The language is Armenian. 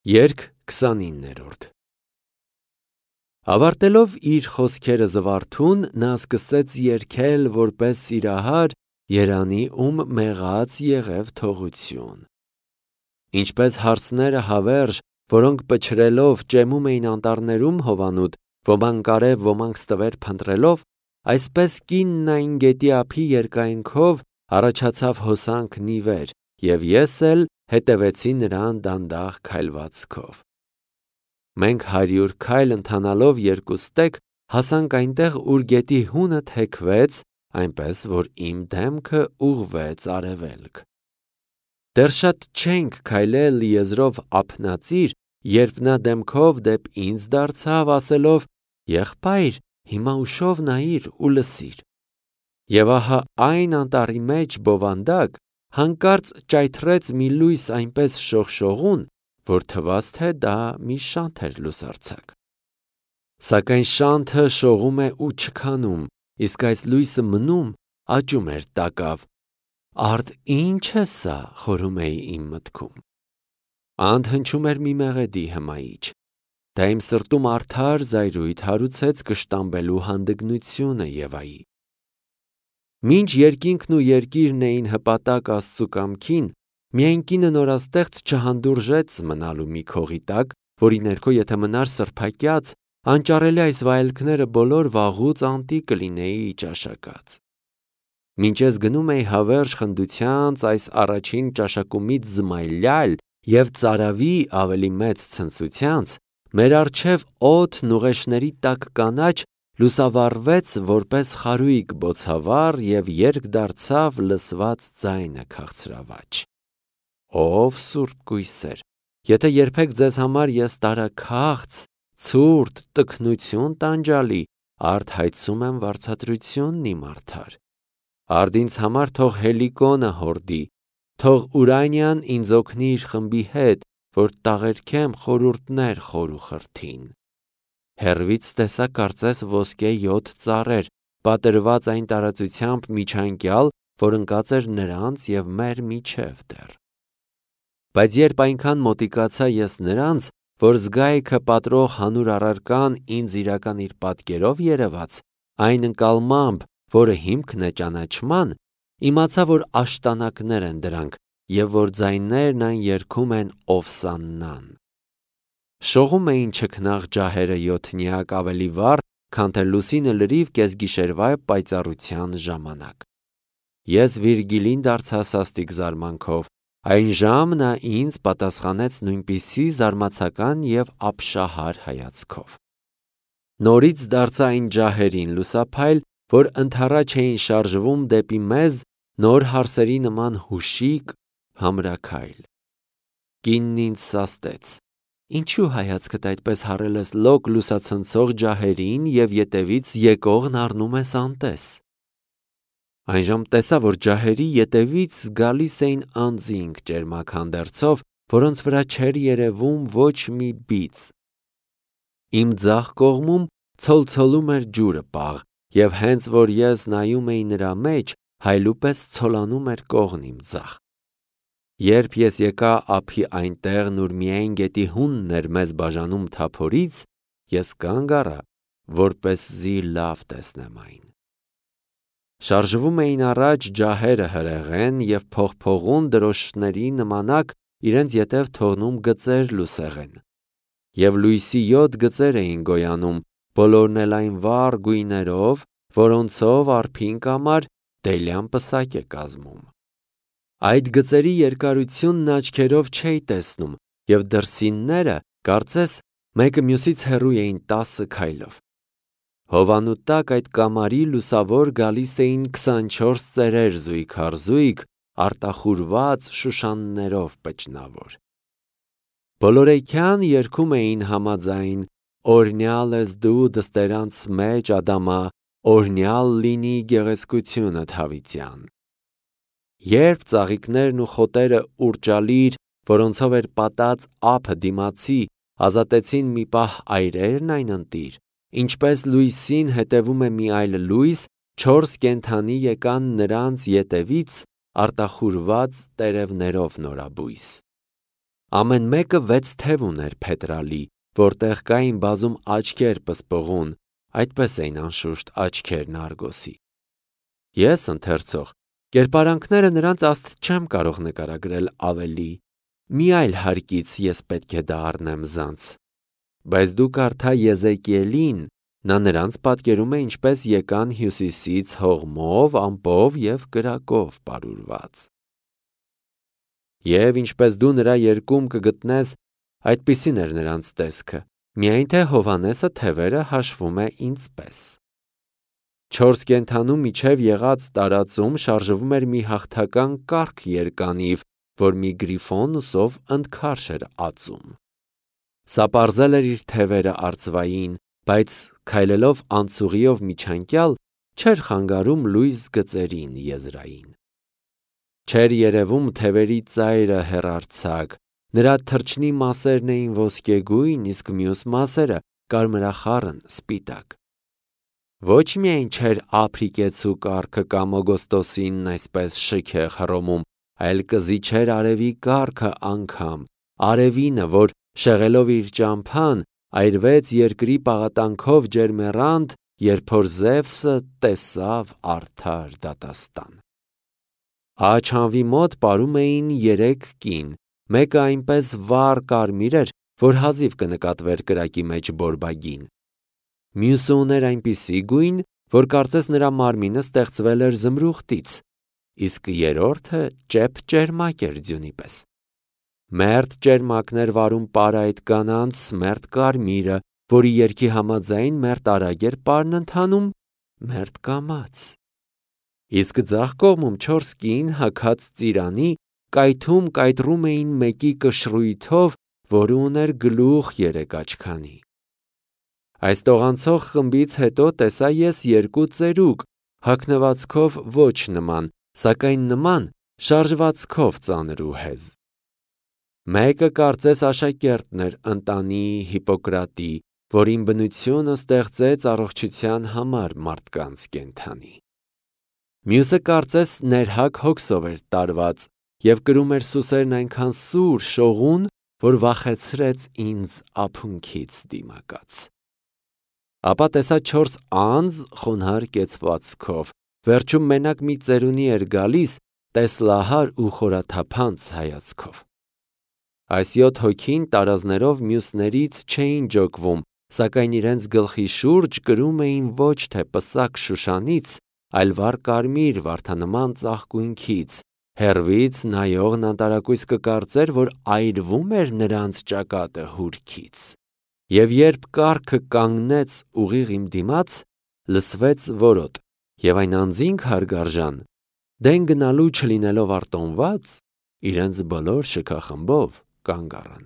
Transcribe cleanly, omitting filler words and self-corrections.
Երգ 29-րդ Ավարտելով իր խոսքերը զվարթուն, նա սկսեց երգել որպես սիրահար երանի, ում մեղած եղև թողություն։ Ինչպես հարցները հավերժ, որոնք պչրելով ճեմում էին անտառներում հովանուտ, ոմանք արև, ոմանք ստվեր փնտրելով, այսպես կինն այն գետի ափի երկայնքով առաջացավ հոսանքն ի վեր, և ես էլ հետևեցի նրան դանդաղ քայլվածքով։ Մենք 100 քայլ ընթանալով երկուստեք հասանք այնտեղ, ուր գետի հունը թեքվեց, այնպես որ իմ դեմքը ուղղվեց արևելք։ Դեռ շատ չենք քայլել եզրով ափնածիր, երբ նա դեմքով դեպ ինձ դարձավ, ասելով. «Եղբայր, հիմա ուշով նայիր ու լսիր»։ Եվ ահա այն անտառի մեջ բովանդակ հանկարծ ճայթռեց մի լույս այնպես շողշողուն, որ թվաց, թե դա մի շանթ էր լուսարձակ։ Սակայն շանթը շողում է ու չքանում, իսկ այս լույսը մնում, աճում էր տակավ։ Արդ ի՞նչ է սա, խորհում էի իմ մտքում։ Անդ հնչում էր մի մեղեդի հմայիչ։ Դա իմ սրտում արդար զայրույթ հարուցեց կշտամբելու հանդգնությունը Եվայի։ Մինչ երկինքն ու երկիրն էին հպատակ Աստծու կամքին, միայն կինը նորաստեղծ չհանդուրժեց մնալու մի քողի տակ, որի ներքո եթե մնար սրբակյաց, անճարելի այս վայելքները բոլոր վաղուց անտի կլինեի ճաշակած։ Մինչ ես գնում էի հավերժ խնդությանց այս առաջին ճաշակումից զմայլյալ և ծարավի ավելի մեծ ցնծությանց, մեր առջև օդն ուղեշների տակ կանաչ լուսավառվեց որպես խարույկ բոցավառ և երկ դարձավ լսված ձայնը քաղցրավաճ։ Ով սուրբ կույսեր, եթե երբեք ձեզ համար ես տարաքաղց, ցուրտ, տքնություն տանջալի, արդ հայցում եմ վարձատրությունն իմ արդար։ Արդ ինձ համար թող հելիկոնը հորդի, թող Ուրանիան ինձ օգնի իր խմբի հետ, որ տաղերքեմ խորհուրդներ խոր ու խրթին։ Հեռվից տեսա կարծես ոսկե 7 ծառեր, պատրված այն տարածությամբ միջանկյալ, որ ընկած էր նրանց և մեր միջև դեռ։ Բայց երբ այնքան մոտիկացա ես նրանց, որ զգայքը պատրող հանուր առարկան ինձ իրական իր պատկերով երևաց, այն ընկալմամբ, որը հիմքն է ճանաչման, իմացա, որ աշտանակներ են դրանք, և որ ձայներն այն երգում են Օվսաննան։ Շողում էին չքնաղ ջահերը յոթնյակ ավելի վառ, քան թե լուսինը լրիվ կեսգիշերվա պայծառության ժամանակ։ Ես Վիրգիլին դարձա սաստիկ զարմանքով, այն ժամ նա ինձ պատասխանեց նույնպիսի զարմացական և ապշահար հայացքով։ Նորից դարձա այն ջահերին լուսափայլ, որ ընդառաջ էին շարժվում դեպի մեզ նոր հարսերի նման հուշիկ, համրաքայլ։ Կինն ինձ սաստեց. «Ինչու հայացքդ այդպես հառել ես լոկ լուսացնցող ջահերին և ետևից եկողն առնում ես անտես»։ Այժմ տեսա, որ ջահերի ետևից գալիս էին անձինք ճերմակ հանդերձով, որոնց վրա չէր երևում ոչ մի բիծ։ Իմ ձախ կողմում ցոլցոլում էր ջուրը պաղ, և հենց որ ես նայում էի նրա մեջ, հայլու պես ցոլանում էր կողն իմ ձախ։ Երբ ես եկա ափի այն տեղն, ուր միայն գետի հունն էր մեզ բաժանում թափորից, ես կանգ առա, որպեսզի լավ տեսնեմ այն։ Շարժվում էին առաջ ջահերը հրեղեն և փողփողուն դրոշների նմանակ իրենց ետև թողնում գծեր լուսեղեն։ Եվ լույսի 7 գծեր էին գոյանում, բոլորն էլ այն վառ գույներով, որոնցով արփին կամար դելյան պսակ է կազմում։ Այդ գծերի երկարությունն աչքերով չէի տեսնում, և դրսինները, կարծես, մեկը մյուսից հեռու էին 10 քայլով։ Հովանու տակ այդ կամարի լուսավոր գալիս էին 24 ծերեր զույգ առ զույգ, արտախուրված շուշաններով պճնավոր։ Բոլորեքյան երգում էին համաձայն. «Օրհնյալ ես դու դստերանց մեջ, Ադամա, օրհնյալ լինի գեղեցկությունդ Հավիտյան»։ Երբ ծաղիկներն ու խոտերը ուռճալիր, որոնցով էր պատած ափը դիմացի, ազատեցին մի պահ այրերն այն ընտիր, ինչպես լույսին հետևում է մի այլ լույս, 4 կենդանի եկան նրանց ետևից արտախուրված տերևներով նորաբույս։ Ամեն մեկը 6 թև ուներ փետրալի, որտեղ կային բազում աչքեր պսպղուն, այդպես էին անշուշտ աչքերն Արգոսի։ Ես, ընթերցող, կերպարանքները նրանց աստ չեմ կարող նկարագրել ավելի, մի այլ հարկից ես պետք է դա առնեմ զանց։ Բայց դու կարդա Եզեկիելին, նա նրանց պատկերում է ինչպես եկան հյուսիսից հողմով, ամպով և կրակով պարուրված։ Եվ ինչպես դու նրա երկում կգտնես, այդպիսին էր նրանց տեսքը, միայն թե Հովհաննեսը թևերը հաշվում է ինձպես։ 4 կենդանու միջև եղած տարածում շարժվում էր մի հաղթական կառք երկանիվ, որ մի գրիֆոն ուսով ընդքարշ էր ածում։ Սա պարզել էր իր թևերը արծվային, բայց քայլելով անցուղիով միջանկյալ չէր խանգարում լույս գծերին եզրային։ Չէր երևում թևերի ծայրը հեռարձակ, նրա թռչնի մասերն էին ոսկեգույն, իսկ մյուս մասերը կարմրախառն սպիտակ։ Ոչ միայն չէր Ափրիկեցու կառքը կամ Օգոստոսինն այսպես շքեղ Հռոմում, այլ կզիջեր արևի կառքը անգամ, արևինը, որ շեղելով իր ճամփան, այրվեց երկրի պաղատանքով ջերմեռանդ, երբ որ Զևսը տեսավ արդար դատաստան։ Աչանվի մոտ պարում էին 3 կին, մեկը այնպես վառ կարմիր էր, որ հազիվ կնկատվեր կրակի մեջ բորբագին։ Մյուսը ուներ այնպիսի գույն, որ կարծես նրա մարմինը ստեղծվել էր զմրուխտից, իսկ երրորդը ճեպ ճերմակ էր ձյունի պես։ Մերթ ճերմակն էր վարում պարայտ կանանց, մերթ կարմիրը, որի երգի համաձայն մերթ արագ էր պարն ընթանում, մերթ կամաց։ Իսկ ձախ կողմում 4 կին հագած ծիրանի կայթում կայտրում էին մեկի կշռույթով, որը ուներ գլուխ 3 աչքանի։ Այս տողանցող խմբից հետո տեսա ես 2 ծերուկ, հագնվածքով ոչ նման, սակայն նման շարժվածքով ծանր ու հեզ։ Մեկը կարծես աշակերտն էր ընտանի Հիպոկրատի, որին բնությունը ստեղծեց առողջության համար մարդկանց կենդանի։ Մյուսը կարծես ներհակ հոգսով էր տարված և կրում էր սուսերն այնքան սուր, շողուն, որ վախեցրեց ինձ ափունքից դիմակաց։ Ապա տեսա 4 անձ խոնարհ կեցվածքով, վերջում մենակ մի ծերունի էր գալիս, տեսլահար ու խորաթափանց հայացքով։ Այս 7 հոգին տարազներով մյուսներից չէին ջոկվում, սակայն իրենց գլխի շուրջ կրում էին ոչ թե պսակ Շուշանից, այլ վառ կարմիր վարդանման ծաղկույնքից, հեռվից նայողն անտարակույս կկարծեր, որ այրվում էր նրանց ճակատը հուրքից։ Եվ երբ կառքը կանգնեց ուղիղ իմ դիմաց, լսվեց որոտ, և այն անձինք հարգարժան, դեն գնալու չլինելով արտոնված, իրենց բոլոր շքախմբով կանգ առան։